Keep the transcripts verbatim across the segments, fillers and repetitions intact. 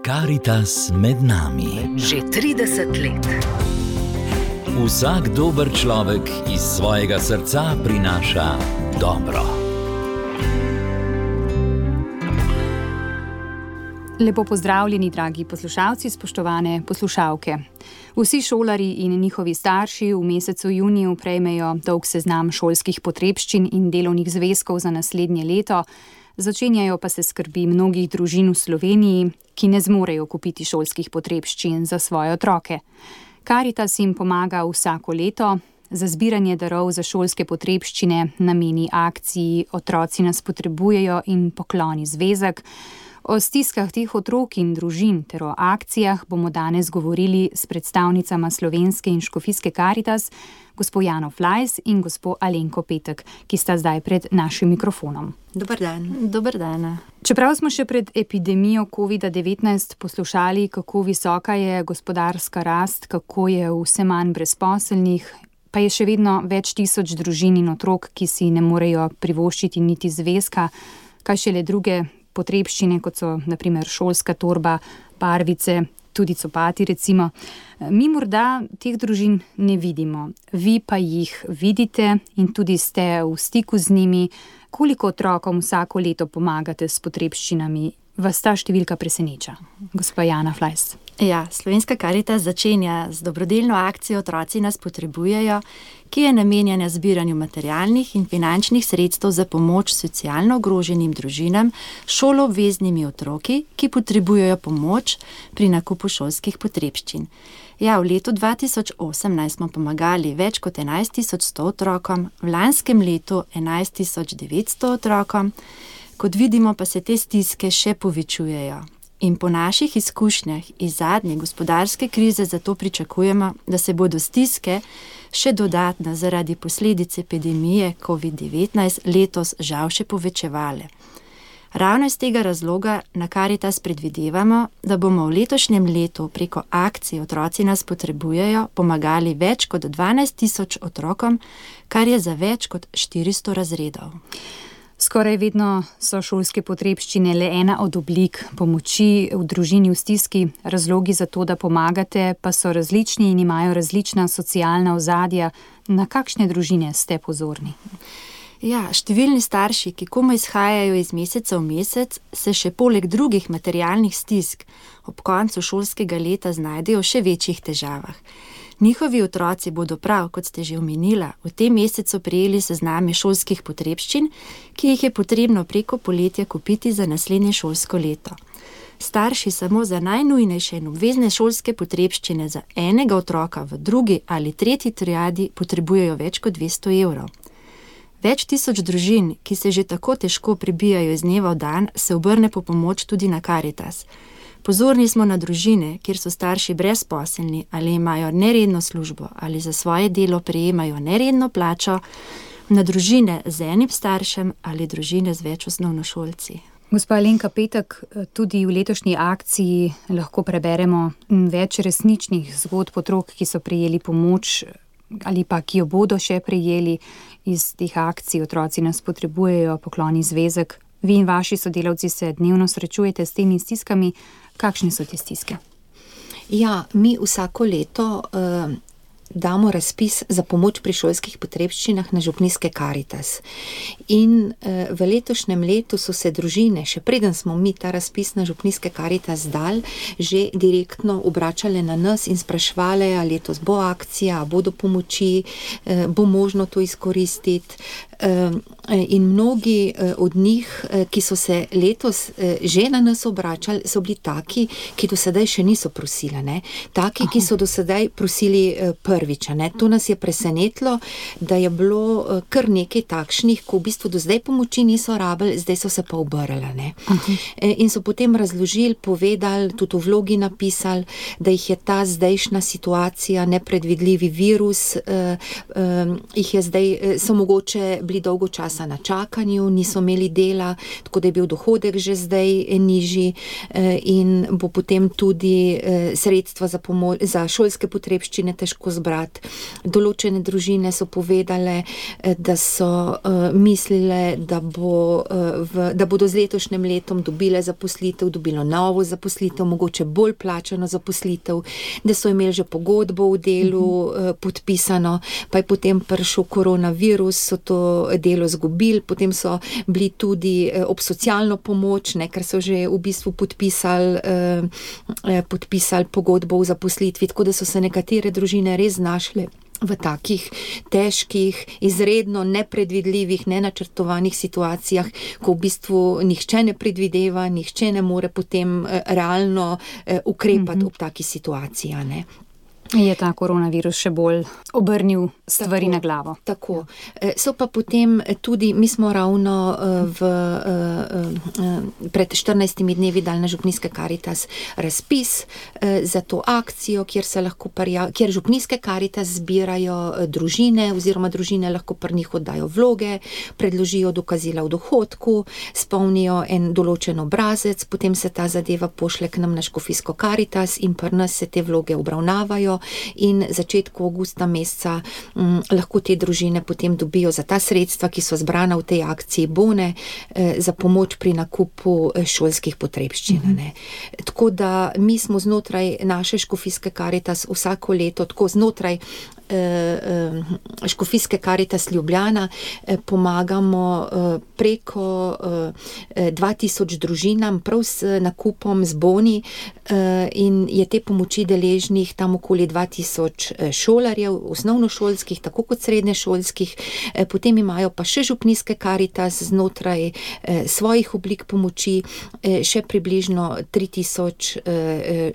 Karitas med nami. Že trideset let. Vsak dober človek iz svojega srca prinaša dobro. Lepo pozdravljeni, dragi poslušalci, spoštovane poslušalke. Vsi šolarji in njihovi starši v mesecu juniju prejmejo dolg seznam šolskih potrebščin in delovnih zvezkov za naslednje leto. Začenjajo pa se skrbi mnogih družin v Sloveniji, ki ne zmorejo kupiti šolskih potrebščin za svoje otroke. Karitas jim pomaga vsako leto. Za zbiranje darov za šolske potrebščine nameni akciji Otroci nas potrebujejo in Pokloni zvezek. O stiskah teh otrok in družin ter o akcijah bomo danes govorili s predstavnicama Slovenske in Škofijske Karitas, gospo Jano Flajs in gospo Alenko Petek, ki sta zdaj pred našim mikrofonom. Dober dan. Dober dan. Čeprav smo še pred epidemijo covid devetnajst poslušali, kako visoka je gospodarska rast, kako je vse manj brezposelnih, pa je še vedno več tisoč družin in otrok, ki si ne morejo privoščiti niti zvezka, kaj šele druge potrebščine, kot so na primer šolska torba, barvice, tudi copati recimo. Mi morda teh družin ne vidimo, vi pa jih vidite in tudi ste v stiku z njimi. Koliko otrokom vsako leto pomagate s potrebščinami? Vas ta številka preseneča? Gospa Jana Flajs. Ja, Slovenska Karitas začenja z dobrodelno akcijo Otroci nas potrebujejo, ki je namenjena zbiranju materialnih in finančnih sredstev za pomoč socialno ogroženim družinam s šoloobveznimi otroki, ki potrebujejo pomoč pri nakupu šolskih potrebščin. Ja, v letu dva tisoč osemnajst smo pomagali več kot enajst tisoč sto otrokom, v lanskem letu enajst tisoč devetsto otrokom. Kot vidimo, pa se te stiske še povečujejo. In po naših izkušnjah iz zadnje gospodarske krize zato pričakujemo, da se bodo stiske še dodatno zaradi posledic epidemije covid devetnajst letos žal še povečevale. Ravno iz tega razloga na Karitas predvidevamo, da bomo v letošnjem letu preko akcije Otroci nas potrebujejo pomagali več kot dvanajst tisoč otrokom, kar je za več kot štiristo razredov. Skoraj vedno so šolske potrebščine le ena od oblik pomoči v družini v stiski. Razlogi za to, da pomagate, pa so različni in imajo različna socialna ozadja. Na kakšne družine ste pozorni? Ja, številni starši, ki komaj izhajajo iz meseca v mesec, se še poleg drugih materialnih stisk ob koncu šolskega leta znajdejo v še večjih težavah. Njihovi otroci bodo prav, kot ste že omenila, v tem mesecu prejeli sezname šolskih potrebščin, ki jih je potrebno preko poletja kupiti za naslednje šolsko leto. Starši samo za najnujnejše in obvezne šolske potrebščine za enega otroka v drugi ali tretji triadi potrebujejo več kot dvesto evrov. Več tisoč družin, ki se že tako težko prebijajo iz dneva v dan, se obrne po pomoč tudi na Karitas. Pozorni smo na družine, kjer so starši brezposelni ali imajo neredno službo ali za svoje delo prejemajo neredno plačo, na družine z enim staršem ali družine z več osnovnošolci. Gospa Alenka Petek, tudi v letošnji akciji lahko preberemo več resničnih zgodb otrok, ki so prejeli pomoč ali pa ki jo bodo še prejeli iz teh akcij. Otroci nas potrebujejo, Pokloni zvezek. Vi in vaši sodelavci se dnevno srečujete s temi stiskami. Kakšne so te stiske? Ja, mi vsako leto uh, damo razpis za pomoč pri šolskih potrebščinah na župnijske Karitas. In uh, v letošnjem letu so se družine, še preden smo mi ta razpis na župnijske Karitas dali, že direktno obračale na nas in sprašvale, ali letos bo akcija, bodo pomoči, uh, bo možno to izkoristiti. Uh, in mnogi uh, od njih, uh, ki so se letos uh, že na nas obračali, so bili taki, ki do sedaj še niso prosili, ne? Taki, Aha. ki so do sedaj prosili uh, prvič, ne? To nas je presenetilo, da je bilo uh, kar nekaj takšnih, ko v bistvu do zdaj pomoči niso rabili, zdaj so se pa obrali, ne? Uh, in so potem razložili, povedali, tudi v vlogi napisali, da jih je ta zdajšnja situacija, nepredvidljivi virus, uh, uh, jih je zdaj, uh, so mogoče bili dolgo časa na čakanju, niso imeli dela, tako da je bil dohodek že zdaj nižji in bo potem tudi sredstva za, pomoč, za šolske potrebščine težko zbrati. brat. Določene družine so povedale, da so uh, mislile, da, bo, uh, v, da bodo z letošnjim letom dobile zaposlitev, dobilo novo zaposlitev, mogoče bolj plačano zaposlitev, da so imeli že pogodbo v delu uh, podpisano, pa je potem prišel koronavirus, so to delo zgubili, potem so bili tudi uh, ob socialno pomoč, ne, ker so že v bistvu podpisali, uh, podpisali pogodbo v zaposlitvi, tako da so se nekatere družine res znašle v takih težkih, izredno nepredvidljivih, nenačrtovanih situacijah, ko v bistvu nihče ne predvideva, nihče ne more potem uh, realno uh, ukrepati mm-hmm. ob taki situaciji, ne. Je ta koronavirus še bolj obrnil stvari tako, na glavo. Tako. So pa potem tudi, mi smo ravno v, pred štirinajstimi dnevi dali na Župnijske Karitas razpis za to akcijo, kjer se lahko prijav, kjer Župnijske Karitas zbirajo družine, oziroma družine lahko pri njih oddajo vloge, predložijo dokazila v dohodku, spolnijo en določen obrazec, potem se ta zadeva pošle k nam na Škofijsko Karitas in pri nas se te vloge obravnavajo in začetku avgusta meseca m, lahko te družine potem dobijo za ta sredstva, ki so zbrana v tej akciji bone eh, za pomoč pri nakupu šolskih potrebščin. Mm-hmm. Tako da mi smo znotraj naše Škofijske Karitas vsako leto, tako znotraj Škofijske Karitas Ljubljana pomagamo preko dva tisoč družinam prav s nakupom, z boni in je te pomoči deležnih tam okoli dva tisoč šolarjev, osnovnošolskih, tako kot srednješolskih, potem imajo pa še Župnijske Karitas znotraj svojih oblik pomoči še približno tri tisoč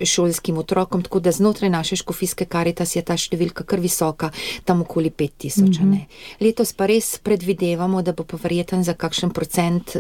šolskim otrokom, tako da znotraj naše Škofijske Karitas je ta številka kar visoka, tam okoli pet tisoč. Mm-hmm. Letos pa res predvidevamo, da bo pa verjeten za kakšen procent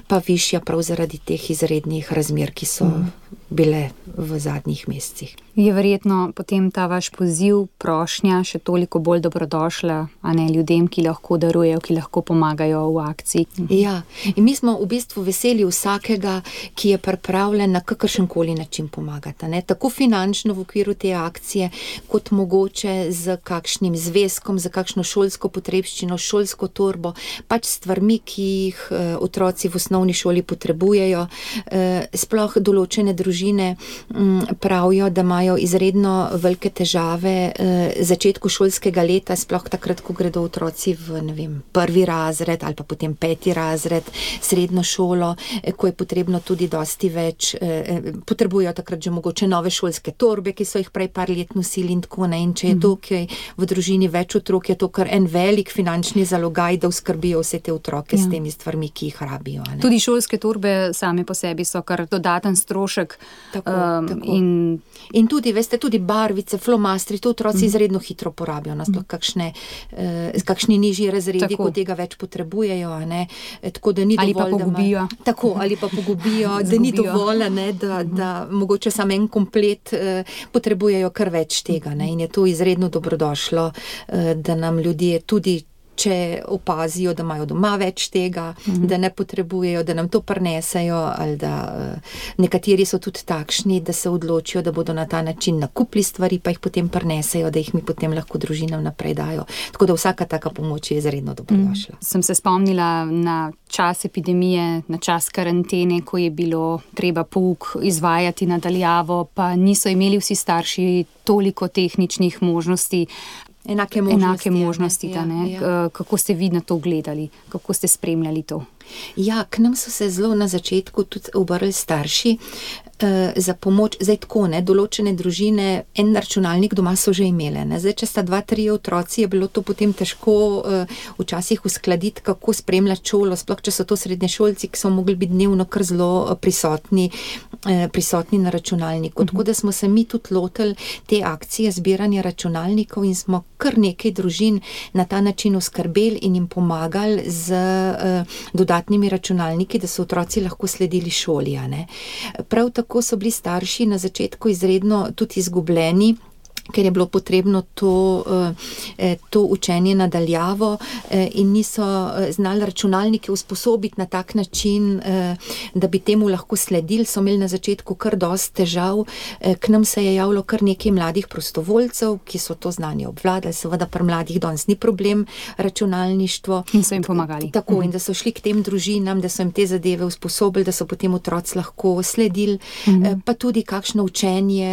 pa višja prav zaradi teh izrednih razmer, ki so mm. bile v zadnjih mesecih. Je verjetno potem ta vaš poziv, prošnja še toliko bolj dobrodošla, a ne ljudem, ki lahko darujejo, ki lahko pomagajo v akciji. Ja, in mi smo v bistvu veseli vsakega, ki je pripravljen na kakršenkoli način pomagati, ne? Tako finančno v okviru te akcije, kot mogoče z kakšnim zvezkom, za kakšno šolsko potrebščino, šolsko torbo, pač stvarmi, ki jih uh, otroci v osnovni šoli potrebujejo. Uh, sploh določene družine um, pravijo, da imajo izredno velike težave uh, začetku šolskega leta, sploh takrat, ko gredo otroci v, ne vem, prvi razred ali pa potem peti razred, srednjo šolo, eh, ko je potrebno tudi dosti več, eh, potrebujejo takrat že mogoče nove šolske torbe, ki so jih prej par let nosili in tako ne, in če je mm. to, ki v družini več otrok, je to kar en velik finančni zalogaj, da uskrbijo vse te otroke ja. s temi stvarmi, ki jih rabijo. Ne? Tudi šolske torbe same po sebi so kar dodaten strošek. Tako, um, tako. In... in tudi, veste, tudi barvice, flomastri, to otroci mm. izredno hitro porabijo, nasploh kakšne, eh, kakšni nižji razredi, tako. Ko tega več potrebujejo, ne? Tako da ni ali dovolj, pa pogubijo. Da tako, ali pa pogubijo, da ni dovolj, ne, da, da mogoče samo en komplet eh, potrebujejo kar več tega, ne? In je to izredno dobrodošlo, eh, da nam ljudje tudi, če opazijo, da imajo doma več tega, mm-hmm. da ne potrebujejo, da nam to prinesejo, ali da uh, nekateri so tudi takšni, da se odločijo, da bodo na ta način nakupili stvari, pa jih potem prinesejo, da jih mi potem lahko družinam naprej dajo. Tako da vsaka taka pomoč je izredno dobrodošla. Mm. Sem se spomnila na čas epidemije, na čas karantene, ko je bilo treba pouk izvajati nadaljavo, pa niso imeli vsi starši toliko tehničnih možnosti, Enake možnosti, enake možnosti ja, ta, ne? Ja. Kako ste vi na to gledali? Kako ste spremljali to? Ja, k nam so se zelo na začetku tudi obrali starši uh, za pomoč. Zdaj tako, ne, določene družine, en računalnik doma so že imele. Ne. Zdaj, če sta dva, tri otroci, je bilo to potem težko uh, včasih uskladiti, kako spremljati šolo, sploh če so to srednješolci, ki so mogli biti dnevno kar zelo prisotni, uh, prisotni na računalniku. Mm-hmm. Tako da smo se mi tudi lotili te akcije zbiranja računalnikov in smo kar nekaj družin na ta način oskrbeli in jim pomagali z uh, dodatnimi računalniki, da so otroci lahko sledili šoli. Ne. Prav tako so bili starši na začetku izredno tudi izgubljeni, ker je bilo potrebno to, to učenje nadaljavo in niso znali računalnike usposobiti na tak način, da bi temu lahko sledili, so imeli na začetku kar dosti težav. K nam se je javilo kar nekaj mladih prostovoljcev, ki so to znanje obvladali, seveda pri mladih danes ni problem računalništvo. In so jim pomagali. Tako, mm-hmm. in da so šli k tem družinam, da so jim te zadeve usposobili, da so potem otroci lahko sledili, mm-hmm. pa tudi kakšno učenje,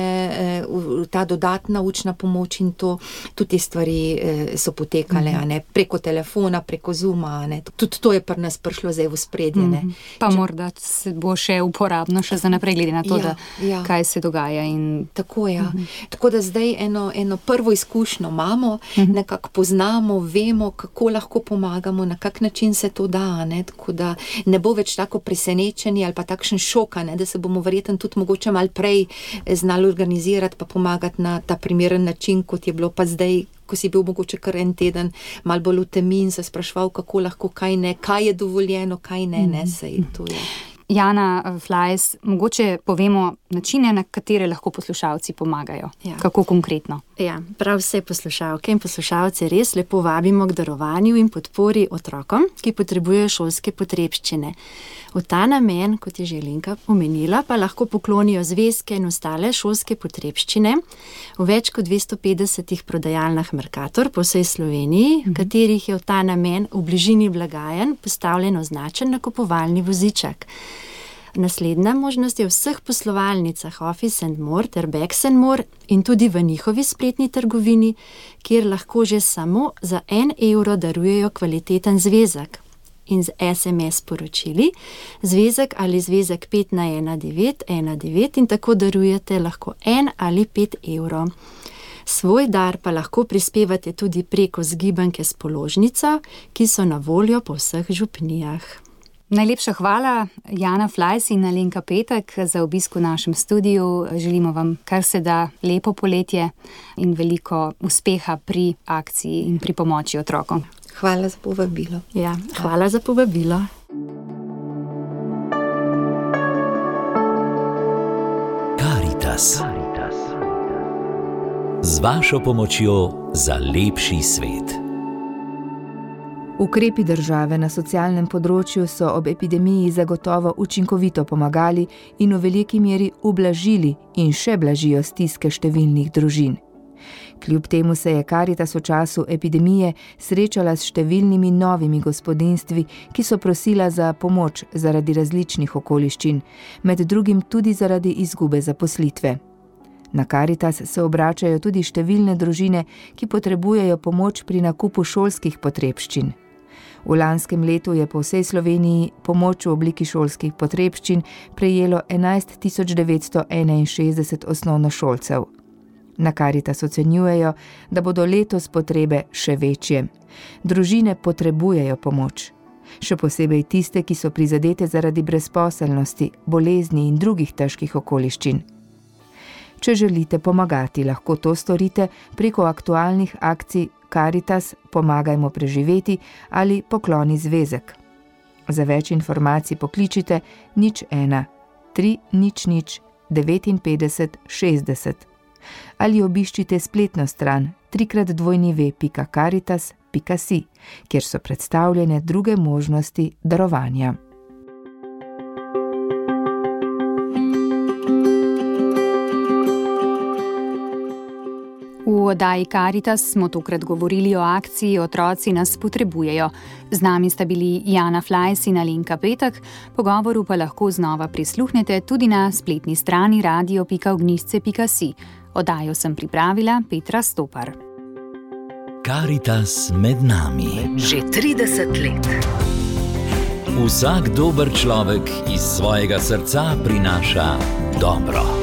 ta dodatna učna pomoč in to, tudi te stvari so potekale, mm-hmm. a ne, preko telefona, preko Zooma, a ne, tudi to je pri nas prišlo zdaj v spredje, ne. Mm-hmm. Pa Če... morda bo še uporabno še za naprej, glede na to, ja, da ja. kaj se dogaja in... Tako, ja. Mm-hmm. Tako da zdaj eno, eno prvo izkušnjo imamo, mm-hmm. nekako poznamo, vemo, kako lahko pomagamo, na kak način se to da, ne, tako da ne bo več tako presenečenje ali pa takšen šok, ne, da se bomo verjetno tudi mogoče malo prej znali organizirati pa pomagati na ta primeren način, kot je bilo pa zdaj, ko si bil mogoče kar en teden malo bolj v temi in se spraševal, kako lahko, kaj ne, kaj je dovoljeno, kaj ne, ne, sej to je. Jana Flajs, mogoče povemo načine, na katere lahko poslušalci pomagajo. Ja. Kako konkretno? Ja, prav vse poslušalke in poslušalce res lepo vabimo k darovanju in podpori otrokom, ki potrebujejo šolske potrebščine. V ta namen, kot je že Lenka omenila, pa lahko poklonijo zvezke in ostale šolske potrebščine v več kot dvesto petdesetih prodajalnah Mercator po vsej Sloveniji, v katerih je v ta namen v bližini blagajn postavljen označen nakupovalni voziček. Naslednja možnost je v vseh poslovalnicah Office and More ter Bags and More in tudi v njihovi spletni trgovini, kjer lahko že samo za en evro darujejo kvaliteten zvezek. In z es em es sporočili zvezek ali zvezek pet na ena devet ena devet in tako darujete lahko en ali pet evrov. Svoj dar pa lahko prispevate tudi preko zgibanke s položnico, ki so na voljo po vseh župnijah. Najlepša hvala, Jana Flajs in Alenka Petek, za obisk v našem studiu. Želimo vam kar se da lepo poletje in veliko uspeha pri akciji in pri pomoči otrokom. Hvala za povabilo. Ja, hvala za povabilo. Karitas. Z vašo pomočjo za lepši svet. Ukrepi države na socialnem področju so ob epidemiji zagotovo učinkovito pomagali in v veliki meri ublažili in še blažijo stiske številnih družin. Kljub temu se je Karitas v času epidemije srečala s številnimi novimi gospodinjstvi, ki so prosila za pomoč zaradi različnih okoliščin, med drugim tudi zaradi izgube zaposlitve. Na Karitas se obračajo tudi številne družine, ki potrebujejo pomoč pri nakupu šolskih potrebščin. V lanskem letu je po vsej Sloveniji pomoč v obliki šolskih potrebščin prejelo enajst tisoč devetsto enainšestdeset osnovnošolcev. Na Karitas ocenjujejo, da bodo letos potrebe še večje. Družine potrebujejo pomoč. Še posebej tiste, ki so prizadete zaradi brezposelnosti, bolezni in drugih težkih okoliščin. Če želite pomagati, lahko to storite preko aktualnih akcij Karitas Pomagajmo preživeti ali Pokloni zvezek. Za več informacij pokličite nič ena tri nič nič devetinpetdeset šestdeset ali obiščite spletno stran trikrat dvojni ve pika karitas pika si, kjer so predstavljene druge možnosti darovanja. V oddaji Karitas smo tokrat govorili o akciji Otroci nas potrebujejo. Z nami sta bili Jana Flajs in Alenka Petek, pogovoru pa lahko znova prisluhnete tudi na spletni strani radio pika ognjišče pika si. Oddajo sem pripravila Petra Stopar. Karitas med nami. Že trideset let. Vsak dober človek iz svojega srca prinaša dobro.